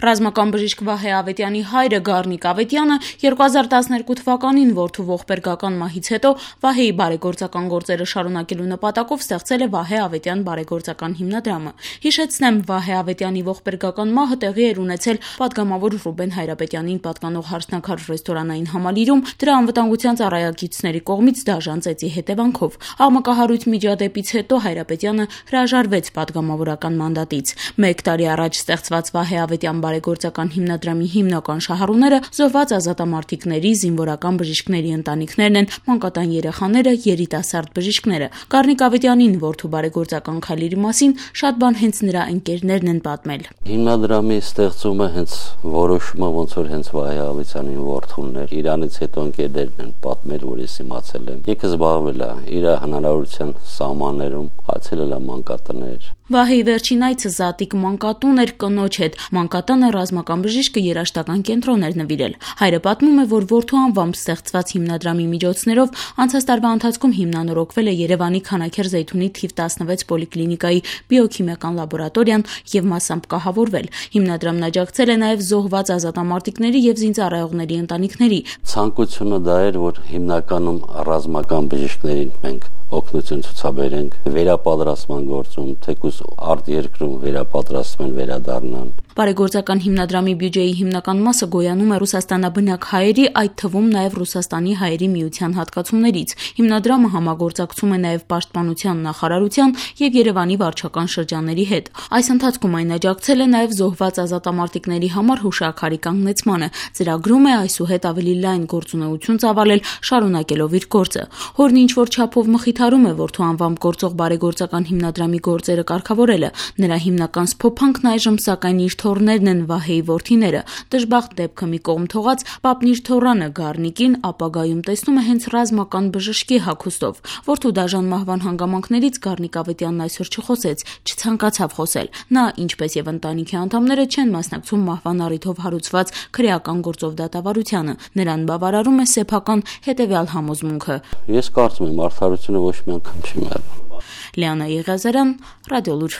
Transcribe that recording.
Ռազմական բժիշկ Վահե Ավետյանի հայրը Գառնիկ Ավետյանը 2012 թվականին որդու ողբերգական մահից հետո Վահեի բարեգործական գործերը շարունակելու նպատակով ստեղծել է Վահե Ավետյան բարեգործական հիմնադրամը։ Հիշեցնեմ, Վահե Ավետյանի ողբերգական մահը տեղի էր ունեցել պատգամավոր Ռուբեն Հայրապետյանին պատկանող Հարսնաքար ռեստորանային համալիրում դրա անվտանգության ծառայակիցների կողմից դաժան ծեծի հետևանքով։ Աղմկահարույց միջադեպից հետո Հայրապետյանը հրաժարվեց պատգամավորական մանդատից։ 1 տարի առաջ ստեղծված Վահե Ավետյան բարեգործական հիմնադրամի հիմնական շահառուները զոհված ազատամարտիկների, զինվորական բժիշկների ընտանիքներն են, մանկատան երեխաները, երիտասարդ բժիշկները։ Գառնիկ Ավետյանին որդու բարեգործական քայլերի մասին շատ բան հենց նրա ընկերներն են պատմել։ Հիմնադրամի ստեղծումը հենց որոշումը ոնց որ հենց Վահե Ավետյանին որդուն էր։ Իրանից հետո ընկերներն են պատմել, որ ես իմացել եմ։ Եկը զբաղվել է իր հնարավորության սահմաններում, հացել է մանկատներ։ Վահեի վերջին այցը Զատիկ մանկատուն էր կնոջ հետ։ Մանկատանը ռազմական բժիշկը երաշտական կենտրոն էր նվիրել։ Հայրը պատմում է, որ որդու անվամբ ստեղծված հիմնադրամի միջոցներով անցած տարվա ընթացքում հիմնանորոգվել է Երևանի Քանաքեր Զեյթունի թիվ 16 պոլիկլինիկայի բիոքիմիական լաբորատորիան եւ մասամբ կահավորվել։ Հիմնադրամն աջակցել է նաեւ զոհված ազատամարտիկների եւ զինծառայողների ընտանիքների։ Ցանկությունը դա էր, որ հիմնականում ռազմական բժիշկներին մենք օգնություն ցուցաբերենք վերապատրաստման գործում, թեկուզ արտերկրում վերապատրաստման վերադառնան։ Բարեգործական հիմնադրամի բյուջեի հիմնական մասը գոյանում է Ռուսաստանաբնակ հայերի, այդ թվում նաև Ռուսաստանի հայերի միության հատկացումներից։ Հիմնադրամը համագործակցում է նաև Պաշտպանության նախարարության եւ Երևանի վարչական շրջանների հետ։ Այս ընթացքում այն աջակցել է նաև զոհված ազատամարտիկների համար հուշաքարի կանգնեցմանը։ Ծրագրում է այսուհետ ավելի լայն գործունեություն ծավալել, շարունակելով իր գործը։ Հորն ինչ որ չափով մխիթարում է որդու անվամբ գործող բարեգործական հիմնադրամի գործերը կարգավորելը։ Նրա հիմնական սփոփանքն այժմ սակայն իր թոռներն են Վահեի որդիները։ Դժբախտ դեպքը մի կողմ թողած, պապն իր թոռանը Գառնիկին ապագայում տեսնում է հենց ռազմական բժշկի հագուստով։ Որդու դաժան մահվան հանգամանքներից Գառնիկ Ավետյանն այսօր չխոսեց, չցանկացավ խոսել։ Նա, ինչպես եւ ընտանիքի անդամները, չեն մասնակցում մահվան առիթով հարուցված քրեական գործով դատավարությանը։ Նրան բավարարում է սեփական հետեւյալ համոզմունքը. Ես կարծում եմ, արդարությունը ոչ մի անգամ չի մեռնում։ Լիանա Եղիազարյան, Ռադիոլուր։